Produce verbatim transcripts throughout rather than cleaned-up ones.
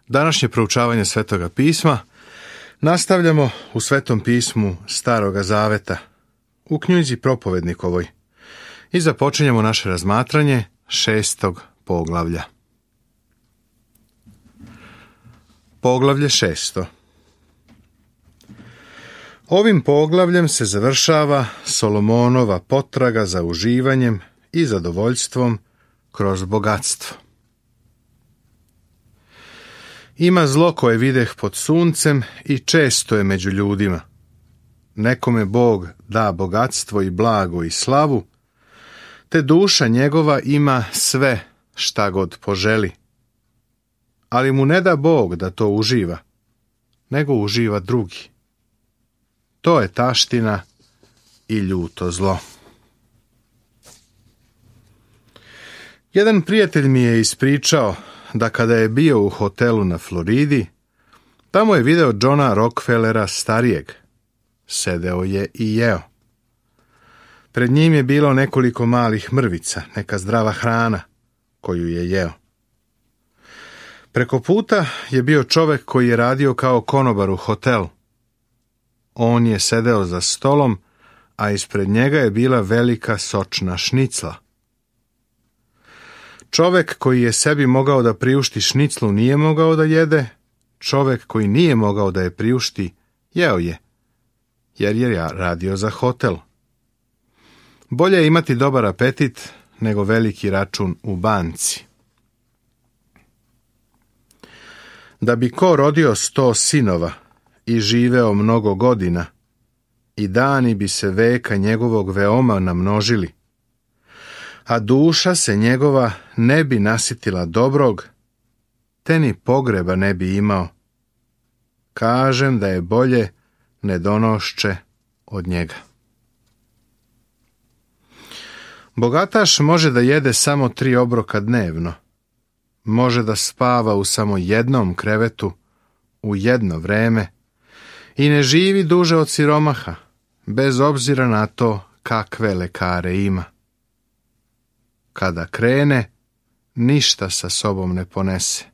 Današnje proučavanje Svetoga pisma nastavljamo u Svetom pismu Staroga Zaveta, u knjizi Propovednikovoj, i započinjemo naše razmatranje šestog poglavlja. Poglavlje šesto. Ovim poglavljem se završava Solomonova potraga za uživanjem i zadovoljstvom kroz bogatstvo. Ima zlo koje videh pod suncem i često je među ljudima. Nekome Bog da bogatstvo i blago i slavu, te duša njegova ima sve šta god poželi. Ali mu ne da Bog da to uživa, nego uživa drugi. To je taština i ljuto zlo. Jedan prijatelj mi je ispričao da kada je bio u hotelu na Floridi, tamo je video Johna Rockefellera starijeg. Sedeo je i jeo. Pred njim je bilo nekoliko malih mrvica, neka zdrava hrana koju je jeo. Preko puta je bio čovjek koji je radio kao konobar u hotelu. On je sedeo za stolom, a ispred njega je bila velika sočna šnicla. Čovjek koji je sebi mogao da priušti šniclu nije mogao da jede, čovjek koji nije mogao da je priušti, jeo je, jer je radio za hotel. Bolje je imati dobar apetit nego veliki račun u banci. Da bi ko rodio sto sinova i živeo mnogo godina, i dani bi se veka njegovog veoma namnožili, a duša se njegova ne bi nasitila dobrog, te ni pogreba ne bi imao. Kažem da je bolje ne donošće od njega. Bogataš može da jede samo tri obroka dnevno, može da spava u samo jednom krevetu u jedno vreme i ne živi duže od siromaha, bez obzira na to kakve lekare ima. Kada krene, ništa sa sobom ne ponese.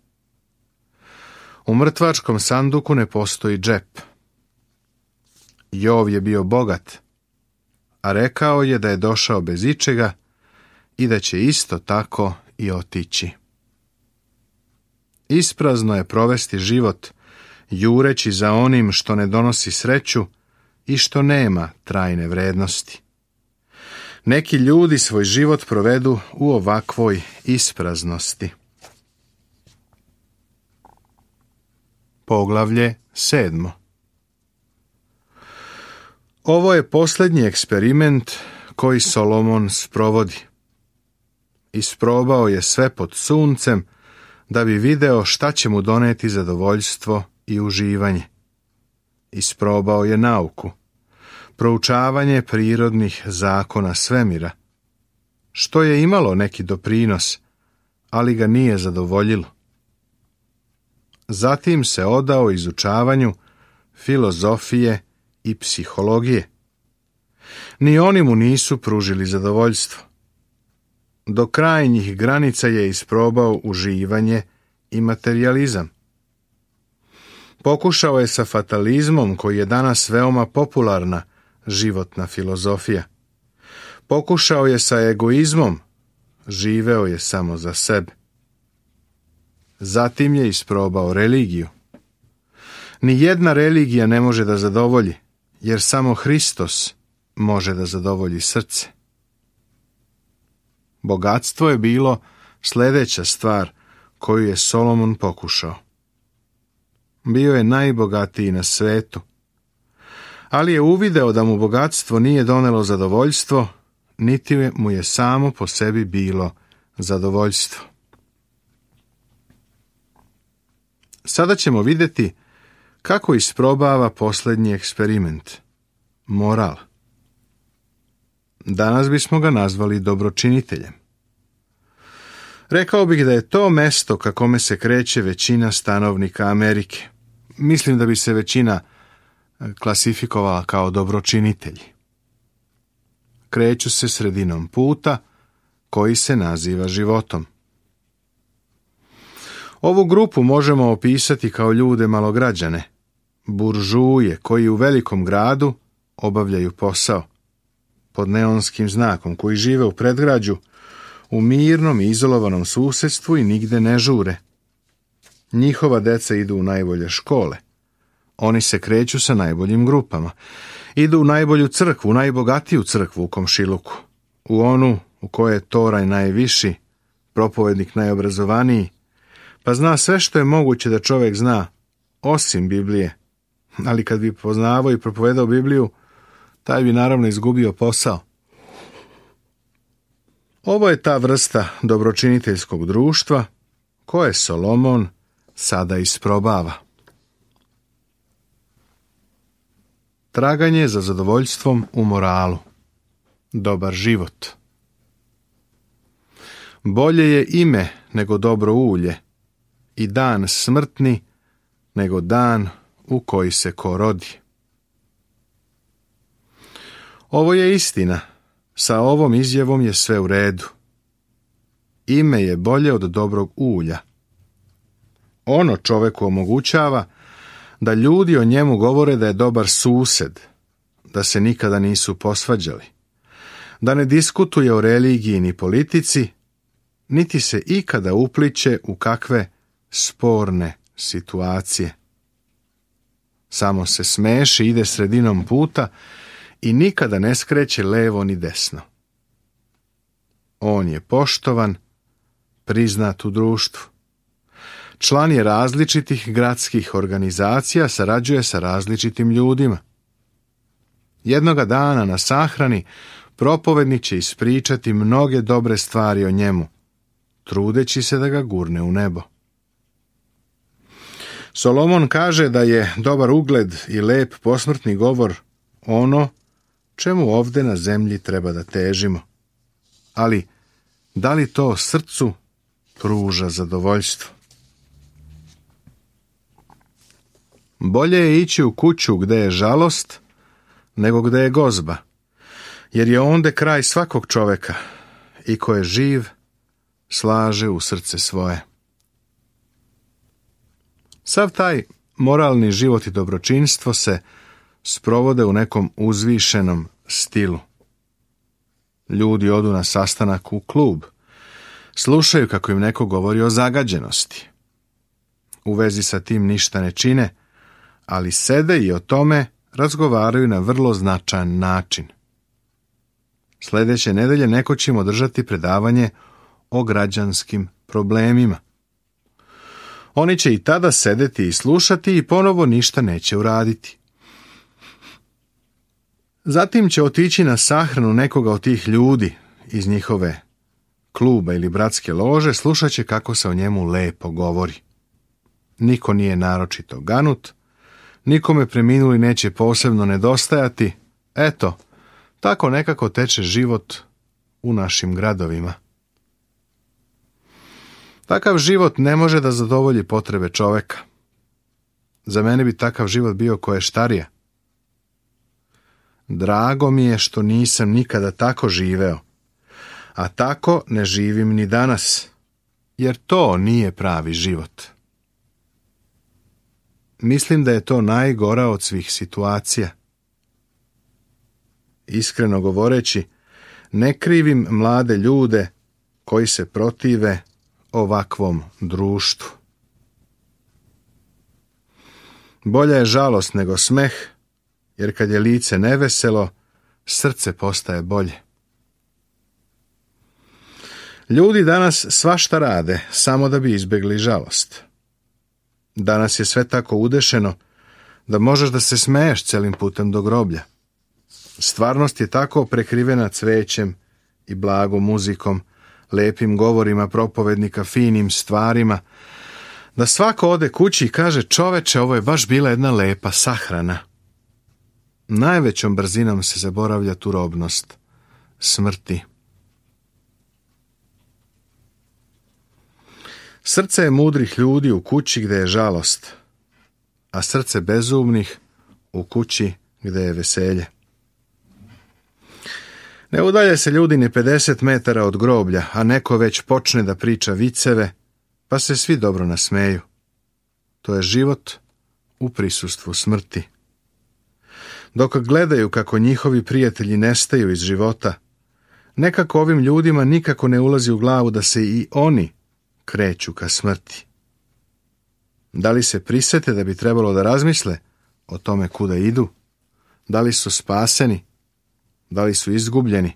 U mrtvačkom sanduku ne postoji džep. Jov je bio bogat, a rekao je da je došao bez ičega i da će isto tako i otići. Isprazno je provesti život, jureći za onim što ne donosi sreću i što nema trajne vrednosti. Neki ljudi svoj život provedu u ovakvoj ispraznosti. Poglavlje sedmo. Ovo je posljednji eksperiment koji Solomon sprovodi. Isprobao je sve pod suncem da bi video šta će mu doneti zadovoljstvo i uživanje. Isprobao je nauku, proučavanje prirodnih zakona svemira, što je imalo neki doprinos, ali ga nije zadovoljilo. Zatim se odao izučavanju filozofije i psihologije. Ni oni mu nisu pružili zadovoljstvo. Do krajnjih granica je isprobao uživanje i materijalizam. Pokušao je sa fatalizmom, koji je danas veoma popularna životna filozofija. Pokušao je sa egoizmom, živeo je samo za sebe. Zatim je isprobao religiju. Ni jedna religija ne može da zadovolji, jer samo Hristos može da zadovolji srce. Bogatstvo je bilo sljedeća stvar koju je Solomon pokušao. Bio je najbogatiji na svetu, ali je uvideo da mu bogatstvo nije donelo zadovoljstvo, niti mu je samo po sebi bilo zadovoljstvo. Sada ćemo vidjeti kako isprobava posljednji eksperiment, moral. Danas bismo ga nazvali dobročiniteljem. Rekao bih da je to mesto ka kome se kreće većina stanovnika Amerike. Mislim da bi se većina klasifikovala kao dobročinitelji. Kreću se sredinom puta koji se naziva životom. Ovu grupu možemo opisati kao ljude malograđane, buržuje koji u velikom gradu obavljaju posao, pod neonskim znakom, koji žive u predgrađu, u mirnom i izolovanom susjedstvu i nigde ne žure. Njihova deca idu u najbolje škole. Oni se kreću sa najboljim grupama. Idu u najbolju crkvu, u najbogatiju crkvu u komšiluku. U onu u kojoj je toraj najviši, propovednik najobrazovaniji, pa zna sve što je moguće da čovjek zna, osim Biblije. Ali kad bi poznavao i propovedao Bibliju, taj bi naravno izgubio posao. Ovo je ta vrsta dobročiniteljskog društva koje Solomon sada isprobava. Traganje za zadovoljstvom u moralu. Dobar život. Bolje je ime nego dobro ulje i dan smrtni nego dan u koji se ko rodi. Ovo je istina. Sa ovom izjavom je sve u redu. Ime je bolje od dobrog ulja. Ono čoveku omogućava da ljudi o njemu govore da je dobar sused, da se nikada nisu posvađali, da ne diskutuje o religiji ni politici, niti se ikada upliće u kakve sporne situacije. Samo se smeši, ide sredinom puta i nikada ne skreće levo ni desno. On je poštovan, priznat u društvu. Član je različitih gradskih organizacija, sarađuje sa različitim ljudima. Jednoga dana na sahrani propovednik će ispričati mnoge dobre stvari o njemu, trudeći se da ga gurne u nebo. Solomon kaže da je dobar ugled i lep posmrtni govor ono čemu ovdje na zemlji treba da težimo. Ali da li to srcu pruža zadovoljstvo? Bolje je ići u kuću gde je žalost nego gde je gozba, jer je onde kraj svakog čoveka i ko je živ slaže u srce svoje. Sav taj moralni život i dobročinstvo se sprovode u nekom uzvišenom stilu. Ljudi odu na sastanak u klub, slušaju kako im neko govori o zagađenosti. U vezi sa tim ništa ne čine, ali sede i o tome razgovaraju na vrlo značajan način. Sljedeće nedelje neko će im održati predavanje o građanskim problemima. Oni će i tada sedeti i slušati i ponovo ništa neće uraditi. Zatim će otići na sahranu nekoga od tih ljudi iz njihove kluba ili bratske lože, slušat će kako se o njemu lepo govori. Niko nije naročito ganut, nikome preminuli neće posebno nedostajati. Eto, tako nekako teče život u našim gradovima. Takav život ne može da zadovolji potrebe čoveka. Za mene bi takav život bio koještarija. Drago mi je što nisam nikada tako živeo, a tako ne živim ni danas, jer to nije pravi život. Mislim da je to najgora od svih situacija. Iskreno govoreći, ne krivim mlade ljude koji se protive ovakvom društvu. Bolja je žalost nego smeh, jer kad je lice neveselo, srce postaje bolje. Ljudi danas svašta rade, samo da bi izbjegli žalost. Danas je sve tako udešeno da možeš da se smeješ celim putem do groblja. Stvarnost je tako prekrivena cvećem i blagom muzikom, lepim govorima propovednika, finim stvarima, da svako ode kući i kaže: čoveče, ovo je baš bila jedna lepa sahrana. Najvećom brzinom se zaboravlja turobnost smrti. Srce je mudrih ljudi u kući gde je žalost, a srce bezumnih u kući gde je veselje. Ne udalje se ljudi ni pedeset metara od groblja, a neko već počne da priča viceve, pa se svi dobro nasmeju. To je život u prisustvu smrti. Dok gledaju kako njihovi prijatelji nestaju iz života, nekako ovim ljudima nikako ne ulazi u glavu da se i oni kreću ka smrti. Da li se prisete da bi trebalo da razmisle o tome kuda idu? Da li su spaseni? Da li su izgubljeni?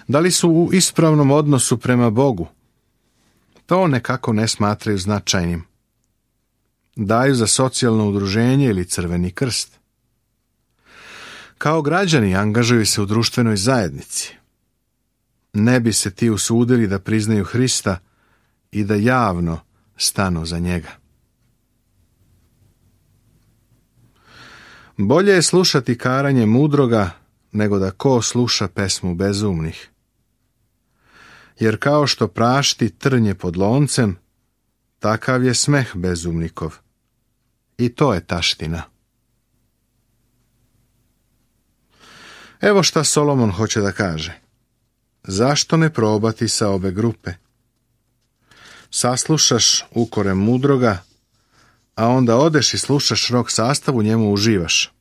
Da li su u ispravnom odnosu prema Bogu? To nekako ne smatraju značajnim. Daju za socijalno udruženje ili Crveni krst. Kao građani angažuju se u društvenoj zajednici. Ne bi se ti usudili da priznaju Hrista i da javno stanu za njega. Bolje je slušati karanje mudroga nego da ko sluša pesmu bezumnih. Jer kao što prašti trnje pod loncem, takav je smeh bezumnikov. I to je taština. Evo šta Solomon hoće da kaže. Zašto ne probati sa obe grupe? Saslušaš ukore mudroga, a onda odeš i slušaš rock sastav, u njemu uživaš.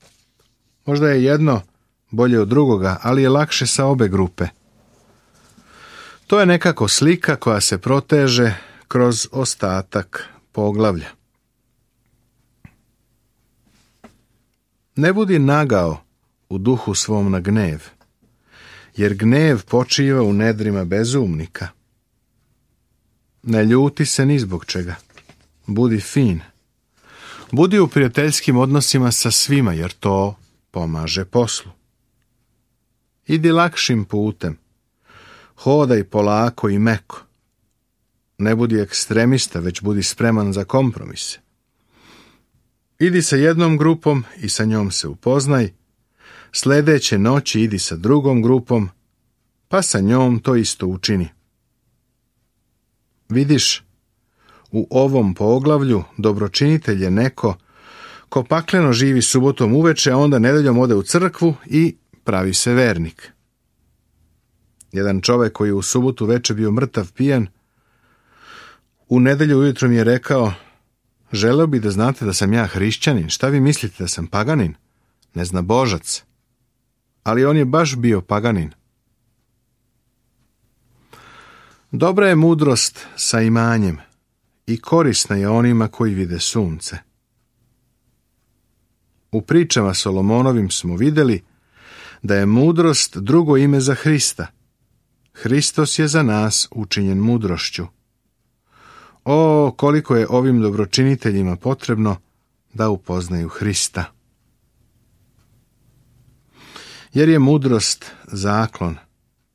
Možda je jedno bolje od drugoga, ali je lakše sa obe grupe. To je nekako slika koja se proteže kroz ostatak poglavlja. Ne budi nagao u duhu svom na gnev, jer gnev počiva u nedrima bezumnika. Ne ljuti se ni zbog čega. Budi fin. Budi u prijateljskim odnosima sa svima, jer to pomaže poslu. Idi lakšim putem. Hodaj polako i meko. Ne budi ekstremista, već budi spreman za kompromise. Idi sa jednom grupom i sa njom se upoznaj. Sljedeće noći idi sa drugom grupom, pa sa njom to isto učini. Vidiš, u ovom poglavlju dobročinitelj je neko ko pakleno živi subotom uveče, a onda nedeljom ode u crkvu i pravi se vernik. Jedan čovjek koji je u subotu veče bio mrtav pijan, u nedelju ujutro mi je rekao: želeo bi da znate da sam ja hrišćanin, šta vi mislite, da sam paganin, neznabožac? Ali on je baš bio paganin. Dobra je mudrost sa imanjem i korisna je onima koji vide sunce. U pričama Solomonovim smo vidjeli da je mudrost drugo ime za Hrista. Hristos je za nas učinjen mudrošću. O, koliko je ovim dobročiniteljima potrebno da upoznaju Hrista. Jer je mudrost zaklon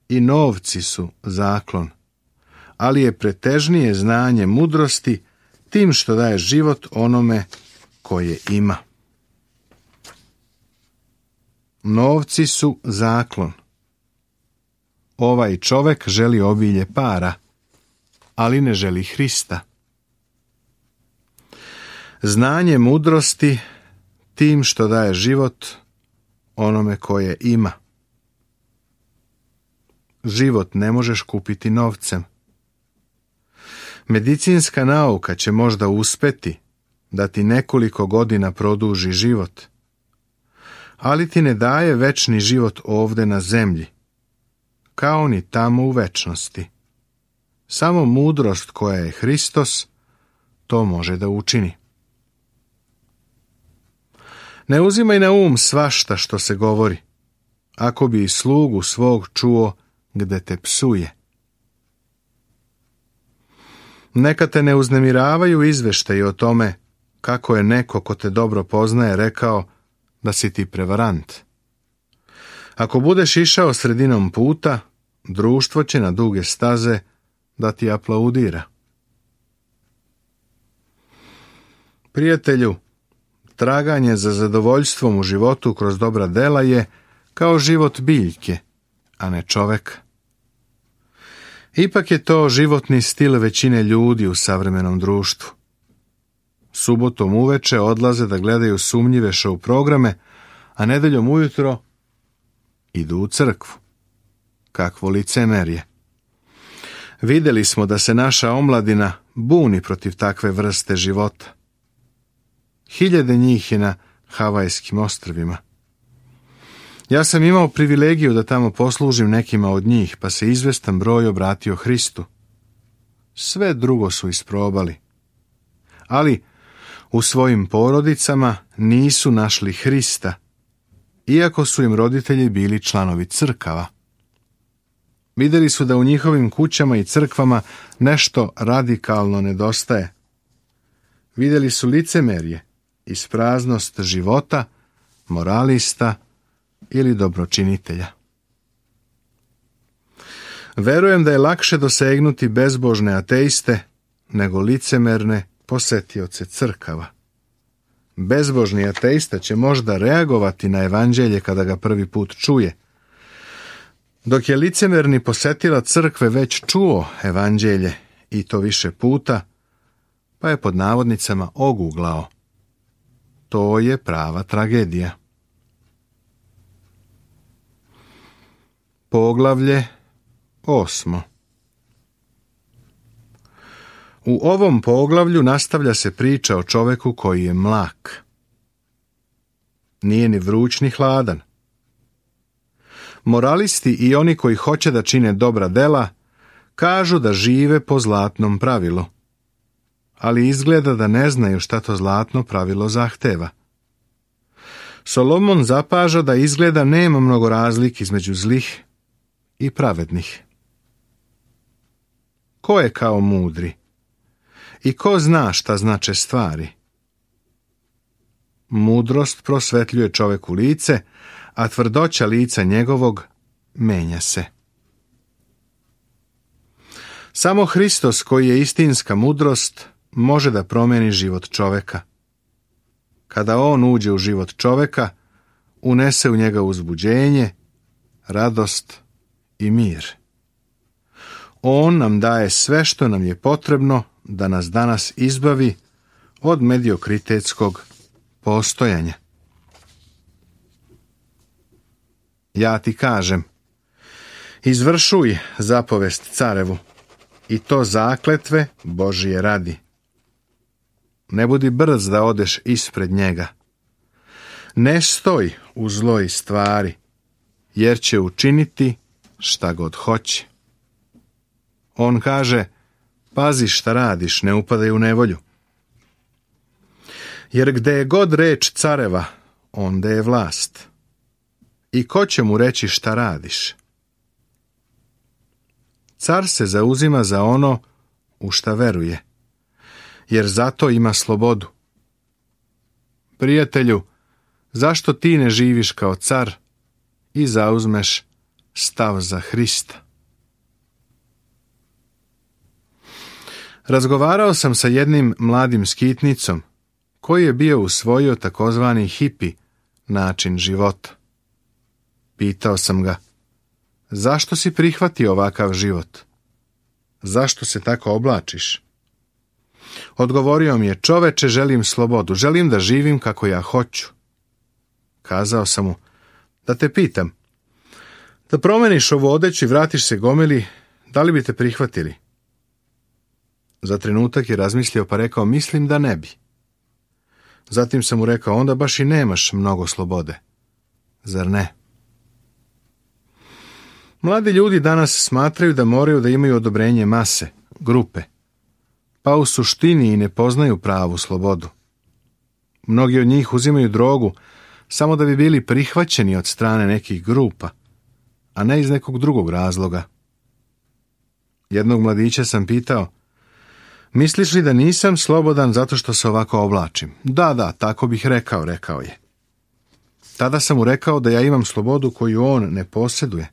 i novci su zaklon, ali je pretežnije znanje mudrosti tim što daje život onome koje ima. Novci su zaklon. Ovaj čovjek želi obilje para, ali ne želi Hrista. Znanje mudrosti tim što daje život onome koje ima. Život ne možeš kupiti novcem. Medicinska nauka će možda uspeti da ti nekoliko godina produži život, ali ti ne daje večni život ovde na zemlji, kao ni tamo u večnosti. Samo mudrost koja je Hristos to može da učini. Ne uzimaj na um svašta što se govori, ako bi i slugu svog čuo gde te psuje. Neka te ne uznemiravaju izveštaji o tome kako je neko ko te dobro poznaje rekao da si ti prevarant. Ako budeš išao sredinom puta, društvo će na duge staze da ti aplaudira. Prijatelju, traganje za zadovoljstvom u životu kroz dobra dela je kao život biljke, a ne čoveka. Ipak je to životni stil većine ljudi u savremenom društvu. Subotom uveče odlaze da gledaju sumnjive show programe, a nedeljom ujutro idu u crkvu. Kakvo licemerje. Vidjeli smo da se naša omladina buni protiv takve vrste života. Hiljade njih je na Havajskim ostrvima. Ja sam imao privilegiju da tamo poslužim nekima od njih, pa se izvestan broj obratio Hristu. Sve drugo su isprobali. Ali u svojim porodicama nisu našli Hrista, iako su im roditelji bili članovi crkava. Vidjeli su da u njihovim kućama i crkvama nešto radikalno nedostaje. Vidjeli su licemerje, ispraznost života, moralista ili dobročinitelja. Verujem da je lakše dosegnuti bezbožne ateiste nego licemerne posetioce crkava. Bezbožni ateista će možda reagovati na evanđelje kada ga prvi put čuje, dok je licemerni posetilac crkve već čuo evanđelje i to više puta, pa je pod navodnicama oguglao. To je prava tragedija. Poglavlje osmo. U ovom poglavlju nastavlja se priča o čoveku koji je mlak. Nije ni vruć ni hladan. Moralisti i oni koji hoće da čine dobra dela kažu da žive po zlatnom pravilu, ali izgleda da ne znaju šta to zlatno pravilo zahteva. Solomon zapaža da izgleda nema mnogo razlike između zlih i pravednih. Ko je kao mudri? I ko zna šta znače stvari? Mudrost prosvetljuje čoveku lice, a tvrdoća lica njegovog menja se. Samo Hristos, koji je istinska mudrost, može da promeni život čoveka. Kada on uđe u život čoveka, unese u njega uzbuđenje, radost i mir. On nam daje sve što nam je potrebno da nas danas izbavi od mediokritetskog postojanja. Ja ti kažem, izvršuj zapovest carevu, i to zakletve Božije radi. Ne budi brz da odeš ispred njega. Ne stoj u zloj stvari, jer će učiniti šta god hoće. On kaže, pazi šta radiš, ne upadaj u nevolju. Jer gde je god reč careva, onda je vlast. I ko će mu reći šta radiš? Car se zauzima za ono u šta veruje, jer zato ima slobodu. Prijatelju, zašto ti ne živiš kao car i zauzmeš stav za Hrista? Razgovarao sam sa jednim mladim skitnicom koji je bio usvojio takozvani hipi način života. Pitao sam ga, zašto si prihvatio ovakav život? Zašto se tako oblačiš? Odgovorio mi je, čoveče, želim slobodu, želim da živim kako ja hoću. Kazao sam mu, da te pitam, da promeniš ovu odeću i vratiš se gomili, da li bi te prihvatili? Za trenutak je razmislio pa rekao, mislim da ne bi. Zatim sam mu rekao, onda baš i nemaš mnogo slobode. Zar ne? Mladi ljudi danas smatraju da moraju da imaju odobrenje mase, grupe, pa u suštini i ne poznaju pravu slobodu. Mnogi od njih uzimaju drogu samo da bi bili prihvaćeni od strane nekih grupa, a ne iz nekog drugog razloga. Jednog mladića sam pitao, misliš li da nisam slobodan zato što se ovako oblačim? Da, da, tako bih rekao, rekao je. Tada sam mu rekao da ja imam slobodu koju on ne posjeduje.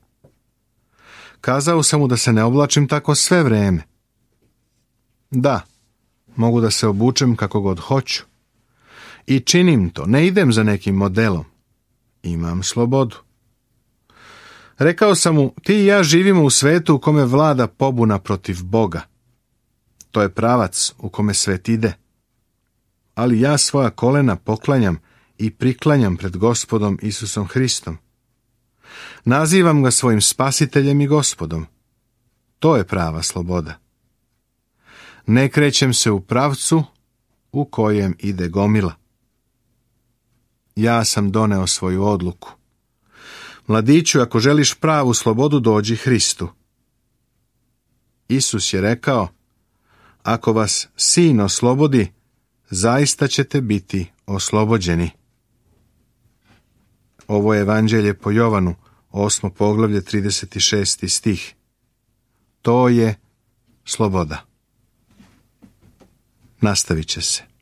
Kazao sam mu da se ne oblačim tako sve vreme. Da, mogu da se obučem kako god hoću. I činim to, ne idem za nekim modelom. Imam slobodu. Rekao sam mu, ti i ja živimo u svetu u kome vlada pobuna protiv Boga. To je pravac u kome svet ide. Ali ja svoja kolena poklanjam i priklanjam pred Gospodom Isusom Hristom. Nazivam ga svojim spasiteljem i Gospodom. To je prava sloboda. Ne krećem se u pravcu u kojem ide gomila. Ja sam doneo svoju odluku. Mladiću, ako želiš pravu slobodu, dođi Hristu. Isus je rekao, ako vas Sin oslobodi, zaista ćete biti oslobođeni. Ovo je Evanđelje po Jovanu, osmo poglavlje, trideset šesti stih. To je sloboda. Nastavit će se.